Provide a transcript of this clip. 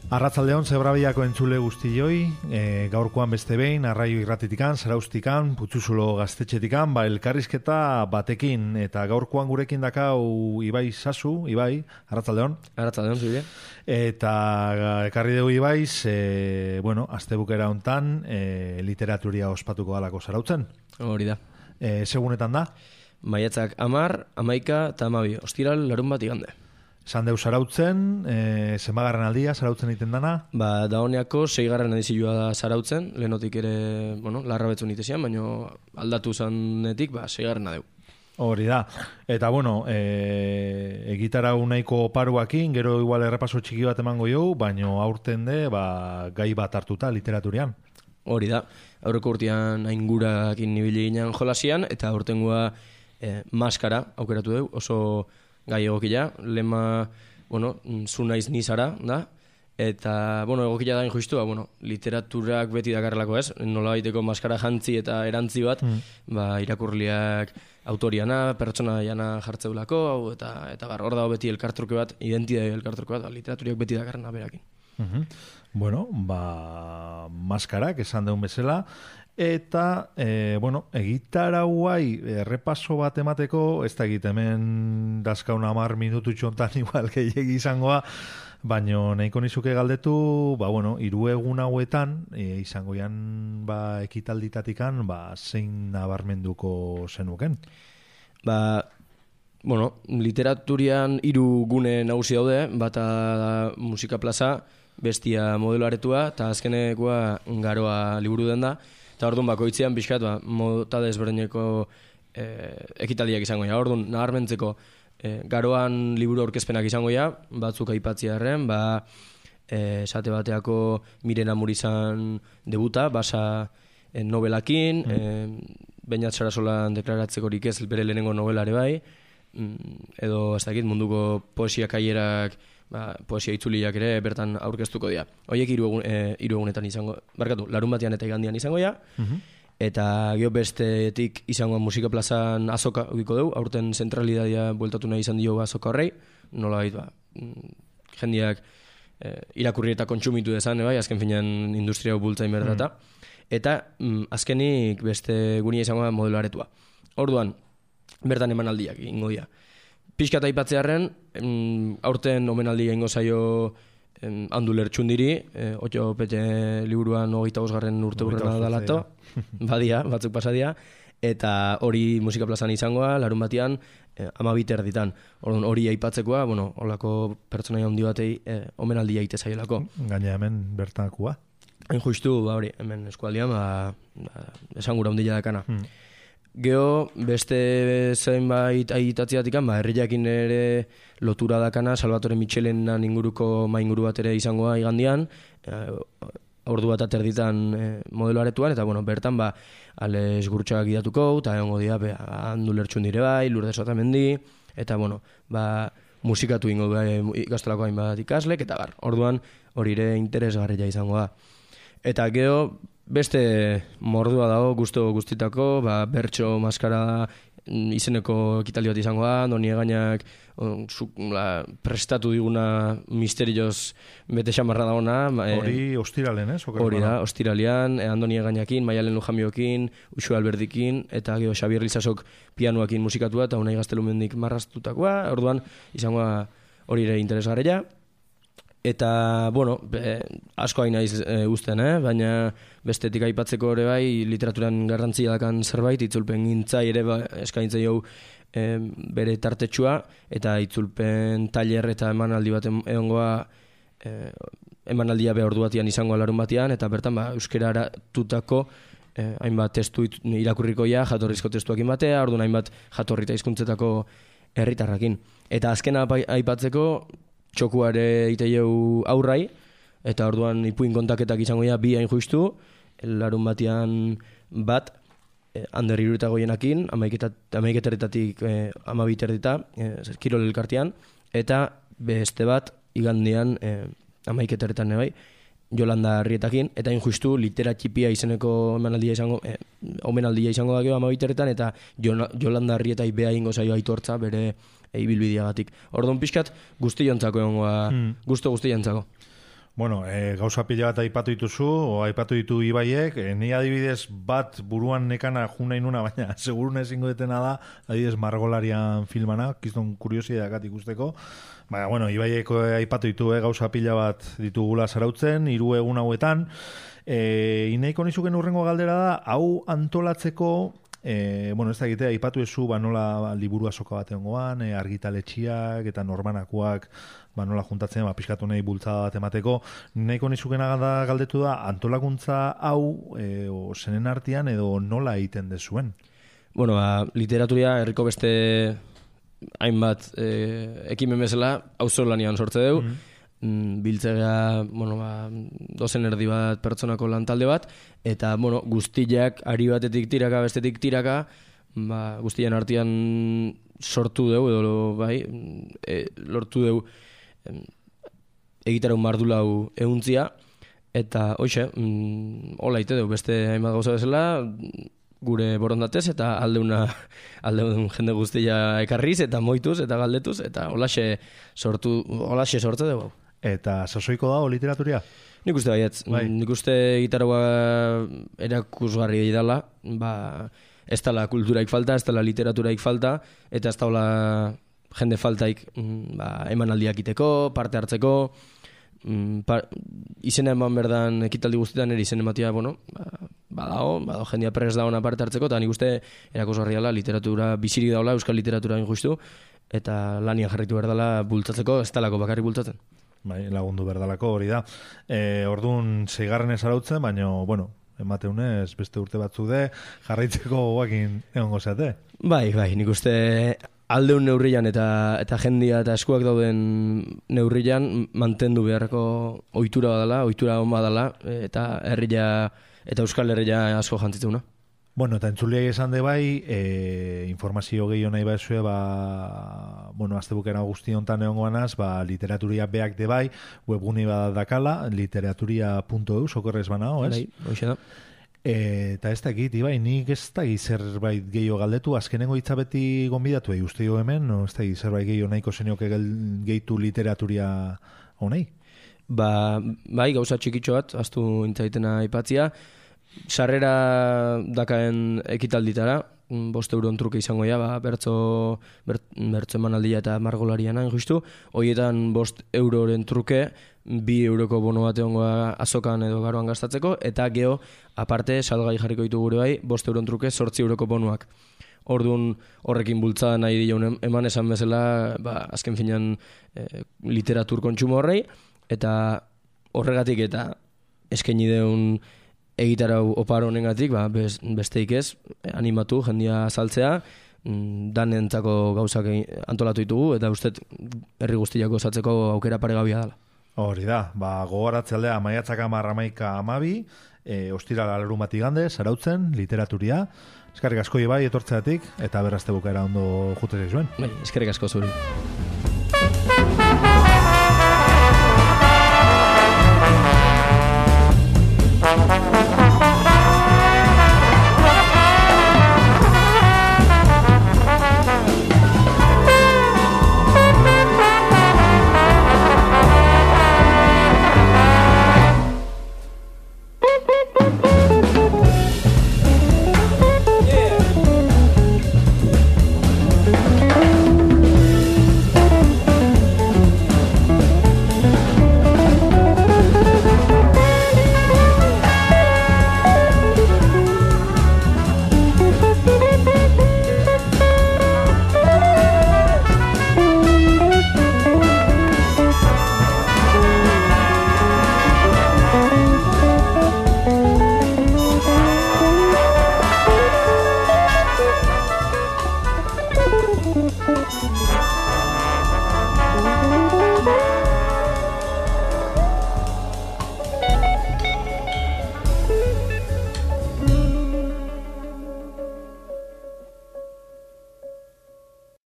Arratsaldeon Zebrabiako entzule guztioi, gaurkoan beste behin, Arraio Irratitikan, Zaraustikan, Putzuzulo Gaztetxetikan, elkarrizketa batekin, eta gaurkoan gurekin dakau Ibai Sasu, Ibai, arratsaldeon. Arratsaldeon, zure. Eta ekarri dugu Ibaiz, astebukera hontan, literaturia ospatuko dalako Zarautzen. Hori da. Segunetan da? Maiatzak 10, 11 eta 12, ostiral larun bat igande. Esan deu Zarautzen, zenbagarren aldia Zarautzen egiten dana? Da honeako 6. edizioa da Zarautzen, lehenotik ere, larra betzun itezian, baina aldatu zanetik, 6. deu. Hori da. Eta, egitarau nahiko oparuakin, gero igual errepaso txiki bat emango jau, baina aurten de, gai bat hartuta literaturian. Hori da. Aurreko urtean aingurakin nibili ginen jolasian, eta aurtengoa maskara aukeratu dugu, oso gai egokila, lema, zu naiz nizara, da, eta, egokila da injustua, literaturak beti dakarrelako ez, nola baiteko maskara jantzi eta erantzi bat, irakurliak autoriana, pertsona jana jartzeulako, eta hor dago beti elkartruke bat, identitate elkartruke bat, literaturiak beti dakarrena berakin. Maskarak esan deun bezala, eta, egitarauai errepaso bat emateko, ez da egit hemen dazkaun 10 minutu txontan igual gehiagi izangoa, baina nahiko nizuke galdetu, hiru egun hauetan, izango jan ekitalditatikan, zein nabarmenduko zenuken? Literaturian 3 gune nagusi daude, bata da musika plaza, bestia modelo aretua, eta azkenekoa garoa liburu den da, eta orduan bakoitzean pixkat, mota desberdineko ekitaldiak izango ja. Orduan, nabarmentzeko garoan liburu aurkezpenak izango ja, batzuk aipatziarren, esate bateako Miren Amurizan debuta, basa novelakin, Beñat Sarasolan deklaratzekorik ez bere lehenengo novelare bai, edo ez dakit munduko poesia kaierak, poesia itzuliak ere bertan aurkeztuko dira. Horiek 3 egunetan izango, larun batean eta igandian izango dira, eta geho bestetik izango musika plazan azoka egiko dugu, aurten zentralidadia bueltatu nahi izan dio azoka horrei, nola baita, jendeak irakurri eta kontsumitu dezan, azken finean industria bultzain berdata, eta azkenik beste gunia izango da modelo aretua. Orduan, bertan emanaldiak ingo dira. Pixkat aipatzearen, aurten omenaldia ingo zaio Andu Lertxundiri, Otto Pete liburuan 25. urteurrena dalato, batzuk pasadia, eta hori musika plazan izangoa, larun batean, 12:00. Hori aipatzekoa, holako pertsonaia handi batei omenaldia ite zaielako. Gaina hemen bertakua? Hain justu, hemen eskualdean, esan gura handia dakana. Geho, beste zenbait aitatziatikan, herriakin ere lotura dakana, Salvatore Michelenan inguruko inguru bat ere izangoa igandian, ordu bat aterditan modelo aretuan, eta bertan Ales Gurtxak idatuko, eta egongo dira, Andu Lertxundire bai, Lourdes Otamendi, eta musikatu ingo gaztelako hainbat ikaslek, eta orduan hori ere interesgarria izangoa. Eta geho, beste mordua dago guztitako, bertso maskara izeneko ekitaldi bat izangoa, Andoni Egainak prestatu diguna misterioz bete xamarra dagoena. Hori ostiralen, ez? Hori da, ostiralean, Andoni Egainakin, Maialen Lujamiokin, Uxue Alberdikin, eta gero Xabier Lizasok pianoakin musikatua, eta Unai Gaztelumendik marraztutakoa, orduan izangoa hori ere interesgarria. Eta, asko hain naiz usten, baina bestetik aipatzeko ere bai, literaturan garrantzia dakan zerbait, itzulpen gintzai ere eskaintzai hau bere tartetxua, eta itzulpen tailer eta emanaldi bat egongoa, emanaldia ordu batian izangoa larun batean, eta bertan euskera aratutako hainbat testu irakurrikoia, jatorrizko testuakin batea, orduan hainbat jatorrita hizkuntzetako herritarrakin. Eta azkena aipatzeko, txokuare iteieu aurrai, eta orduan ipuin kontaketak izango dira 2 hain justu, larun batean bat, Ander Iruretagoienakin, 11:00-tik 12:30, Kirol elkartean, eta beste bat, igandean 11:00 bai, Jolanda Arrietakin, eta hain justu litera txipia izeneko omenaldia izango da gero 12:00, eta Jolanda Arrietai beha ingo zaio aitortza bere ibilbideagatik. Orduan pixkat guztiontzako egongoa, gusto guztiontzako. Bueno, gauza pila bat aipatu dituzu, o aipatu ditu Ibaiek, ni adibidez bat buruan nekana juna inuna, baina segurun ezingo detena da, adibidez Margolarian filmana, kiston kuriosidakat ikusteko. Baina, bueno, Ibaiek aipatu ditu, gauza pila bat ditugula zarautzen, 3 egun hauetan. Ineiko nizuken urrengo galdera da, hau antolatzeko, bueno, ez da egitea, aipatu ezu, nola liburu azoka bat egongoan, argitaletxiak eta norbanakoak, nola juntatzen, pixkatu nahi bultzada bat emateko. Nahiko nizukena galdetu da, antolakuntza hau zenen artean edo nola egiten dezuen? Bueno, literaturia herriko beste hainbat ekimen bezala auzolanean sortze dugu. Biltzea, bueno, dozen erdi bat pertsonako lantalde bat, eta, bueno, guztiak ari batetik tiraka, bestetik tiraka, guztien artean sortu dugu, edo, bai, lortu dugu egitaraun mardulau ehuntzia, eta, hoxe, hola ite dugu, beste hainbat gauza bezala, gure borondatez, eta aldeun jende guztia ekarriz, eta moituz, eta galdetuz, eta holaxe sortze dugu. Eta sasoiko dago literaturia? Nik uste baietz. Nik uste gitarroa erakusgarri dela, ez dela kulturaik falta, ez dela literaturaik falta, eta ez dela jende faltaik emanaldiak iteko, parte hartzeko, izena eman berdan ekitaldi guztietan ere izen ematia, bueno, badago jendia prest da ona parte hartzeko, eta nik uste erakusgarri dela, literatura bizirik daula, euskal literatura injustu, eta lanian jarritu berdala bultzatzeko, ez dalako bakarrik bultzatzen. Bai, lagundu berdalako hori da. Orduan 6. arautzen, baina, bueno, emateunez beste urte batzuk de, jarraitzeko goakin egongo zeate. Bai, nik uste aldeun neurrian eta jendia eta eskuak dauden neurrian mantendu beharreko ohitura badala, ohitura on badala, eta herria eta euskal herria asko jantzitzuna. Bueno, eta entzuliai esan de bai, informazio gehiago nahi baizue, bueno, aztebukera guzti hontan egongoanaz, literaturia beak de bai, webgune badakala, literaturia.eu, sokorrez banao, ez? Bai, hoxe da. Eta ez dakit, Ibai, nik ez dakit zerbait gehiago galdetu, azkenengo hitza beti gonbidatu uste jo hemen, no ez dakit zerbait gehiago nahiko zenioke gehitu literaturia honei? Bai, gauza txikitxo bat, aztu intzaitena aipatzia, sarrera dakaen ekitalditara, 5 euron truke izango ja, bertzo emanaldia eta margolarian hain justu, horietan 5 euroren truke, 2 euroko bono bat egongoa azokan edo garoan gastatzeko, eta geho, aparte, salgai jarriko ditu gure bai, 5 euron truke, 8 euroko bonuak. Orduan horrekin bultzada nahi dira eman esan bezala, azken finean literatur kontsumo horrei, eta horregatik eta eskaini deun egitarau oparo honengatik, besteik ez, animatu, jendia saltzea, danentzako gauzak antolatu ditugu, eta uste herri guztiako osatzeko aukera paregabia dela. Hori da, gogoratzaldea maiatzak 10, 11, ostirala larunbati igande, zarautzen, literaturia. Eskerrik asko Ibai etortzeatik, eta berrazte bukaera ondo jutez zuen. Bai, eskerrik asko zuri.